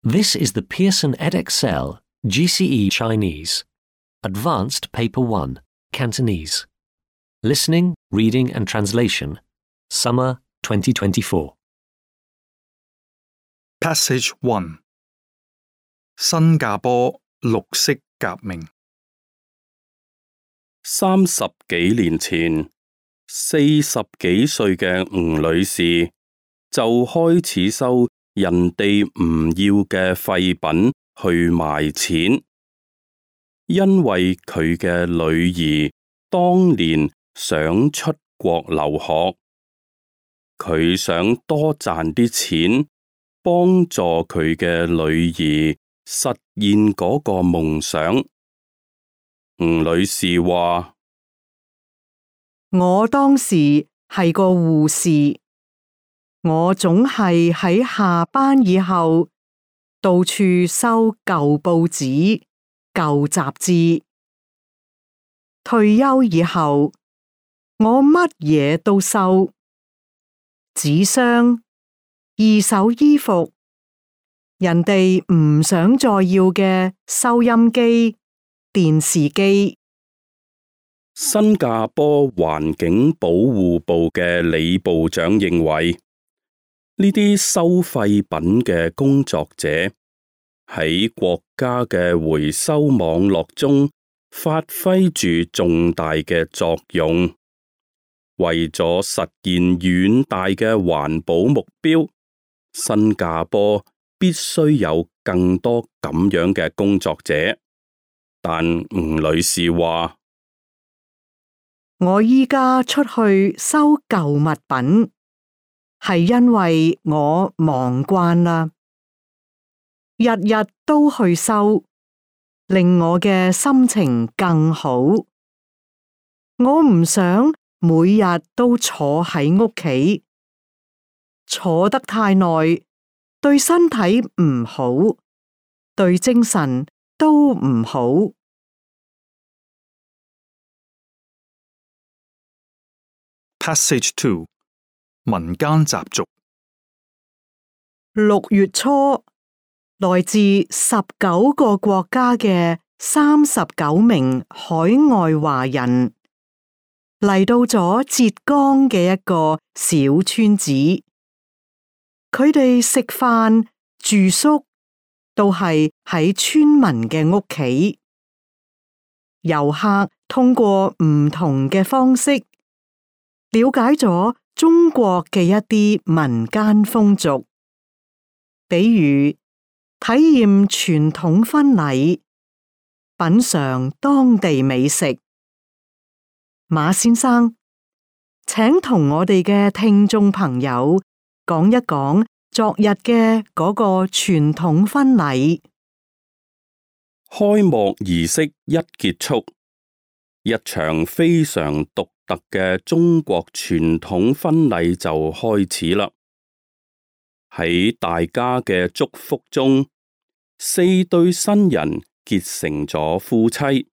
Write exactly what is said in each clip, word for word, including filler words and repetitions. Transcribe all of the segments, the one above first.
This is the Pearson Edexcel G C E Chinese, Advanced Paper one, Cantonese. Listening, Reading and Translation, Summer twenty twenty-four. Passage one 新加坡綠色革命三十幾年前，四十幾歲嘅吳女士就開始收人哋唔要嘅廢品去賣錢，因為佢嘅女兒當年想出國留學，佢想多賺啲錢，幫助佢嘅女兒實現嗰個夢想。吳女士話：我當時係個護士，我總係喺下班以後到處收舊報紙、舊雜誌。退休以後，我乜嘢都收，紙箱、二手衣服，人哋唔想再要嘅收音機、電視機。新加坡環境保護部嘅李部長認為，呢啲收廢品嘅工作者喺國家嘅回收網絡中發揮住重大嘅作用，為咗實現遠大嘅環保目標，新加坡必須有更多咁樣嘅工作者。但吳女士話：我依家出去收舊物品，係因為我忙慣啦，日日都去收，令我嘅心情更好。我唔想每日都坐喺屋企，坐得太耐，對身體唔好，對精神都唔好。Passage two 民間習俗六月初，來自十九個國家嘅三十九名海外華人嚟到咗浙江嘅一個小村子，佢哋食飯、住宿都係喺村民嘅屋企。遊客通過唔同嘅方式了解咗中國嘅一啲民間風俗，比如體驗傳統婚禮、品嘗當地美食。馬先生，請同我哋嘅聽眾朋友講一講昨日嘅嗰個傳統婚禮。開幕儀式一結束，一場非常獨特嘅中國傳統婚禮就開始啦。喺大家嘅祝福中，四對新人結成咗夫妻。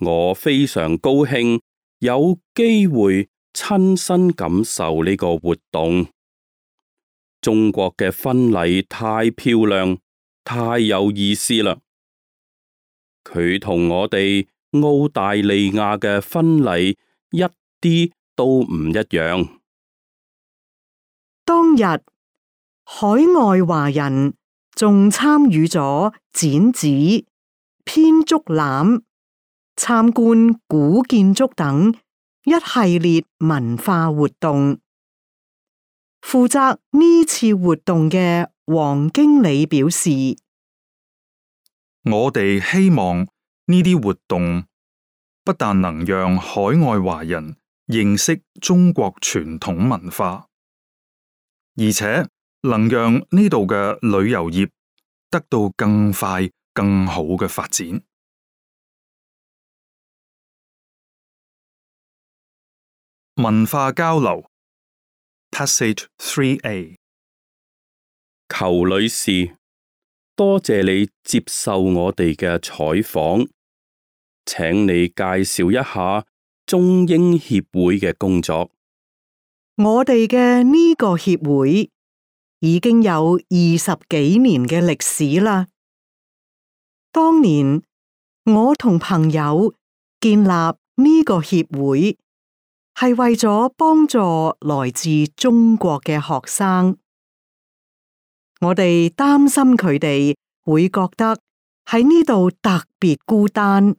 我非常高興有機會親身感受呢個活動。中國嘅婚禮太漂亮，太有意思啦。佢同我哋澳大利亞嘅婚禮一啲都唔一樣。當日，海外華人仲參與咗剪紙、編竹籃、參觀古建築等一系列文化活動。負責呢次活動嘅黃經理表示：我哋希望呢啲活動不但能讓海外華人認識中國傳統文化，而且能讓呢度嘅旅遊業得到更快、更好嘅發展。文化交流 Passage three A 裘女士，多謝你接受我哋嘅採訪。請你介紹一下中英協會嘅工作。我哋嘅呢個協會已經有二十幾年嘅歷史啦。當年我同朋友建立呢個協會，係為咗幫助來自中國嘅學生。我哋擔心佢哋會覺得喺呢度特別孤單，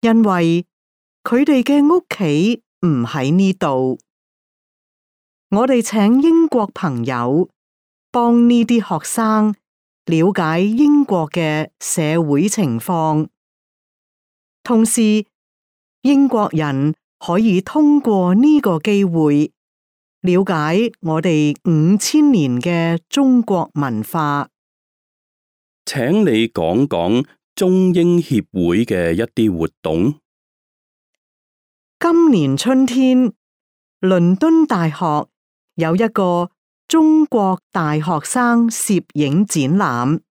因為佢哋嘅屋企唔喺呢度。我哋請英國朋友幫呢啲學生了解英國嘅社會情況，同時英國人可以通過呢個機會了解我哋五千年嘅中國文化。請你講講中英協會嘅一啲活動。今年春天，倫敦大學有一個中國大學生攝影展覽，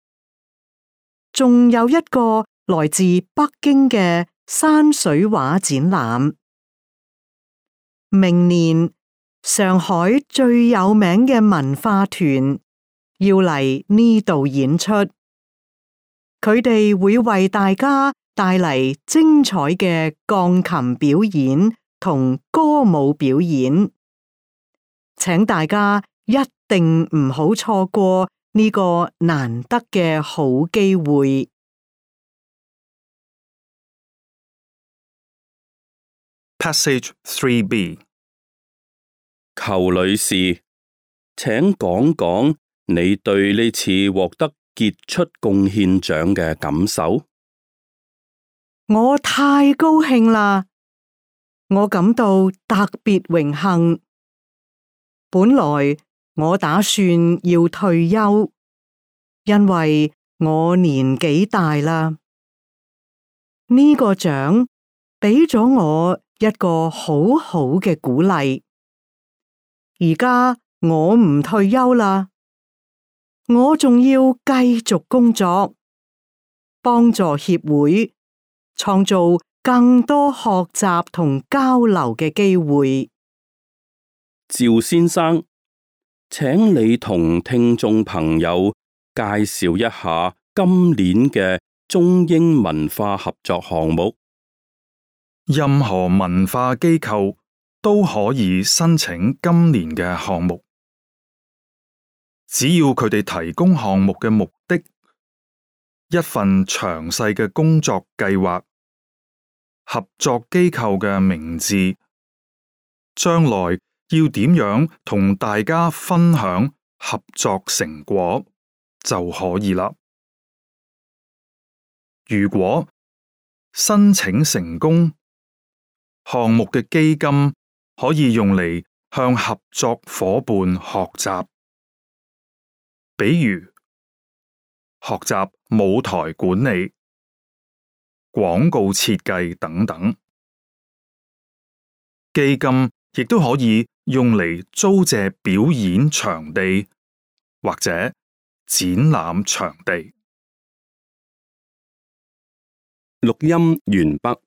仲有一個來自北京嘅山水畫展覽。明年上海最有名嘅文化團要嚟呢度演出，佢哋會為大家帶嚟精彩嘅鋼琴表演同歌舞表演，請大家一定唔好錯過呢個難得嘅好機會。Passage three B。 裘女士，請講講你對呢次獲得傑出貢獻獎嘅感受。我太高興啦！我感到特別榮幸。本來我打算要退休，因為我年紀大啦。呢個獎俾咗我一個好好嘅鼓勵。而家我唔退休啦，我仲要繼續工作，幫助協會創造更多學習同交流嘅機會。趙先生，請你同聽眾朋友介紹一下今年嘅中英文化合作項目。任何文化機構都可以申請今年嘅項目，只要佢哋提供項目嘅目的、一份詳細嘅工作計劃、合作機構嘅名字、將來要點樣同大家分享合作成果就可以啦。如果申請成功，項目嘅基金可以用嚟向合作夥伴學習，比如學習舞台管理、廣告設計等等。基金亦都可以用嚟租借表演場地或者展覽場地。錄音完畢。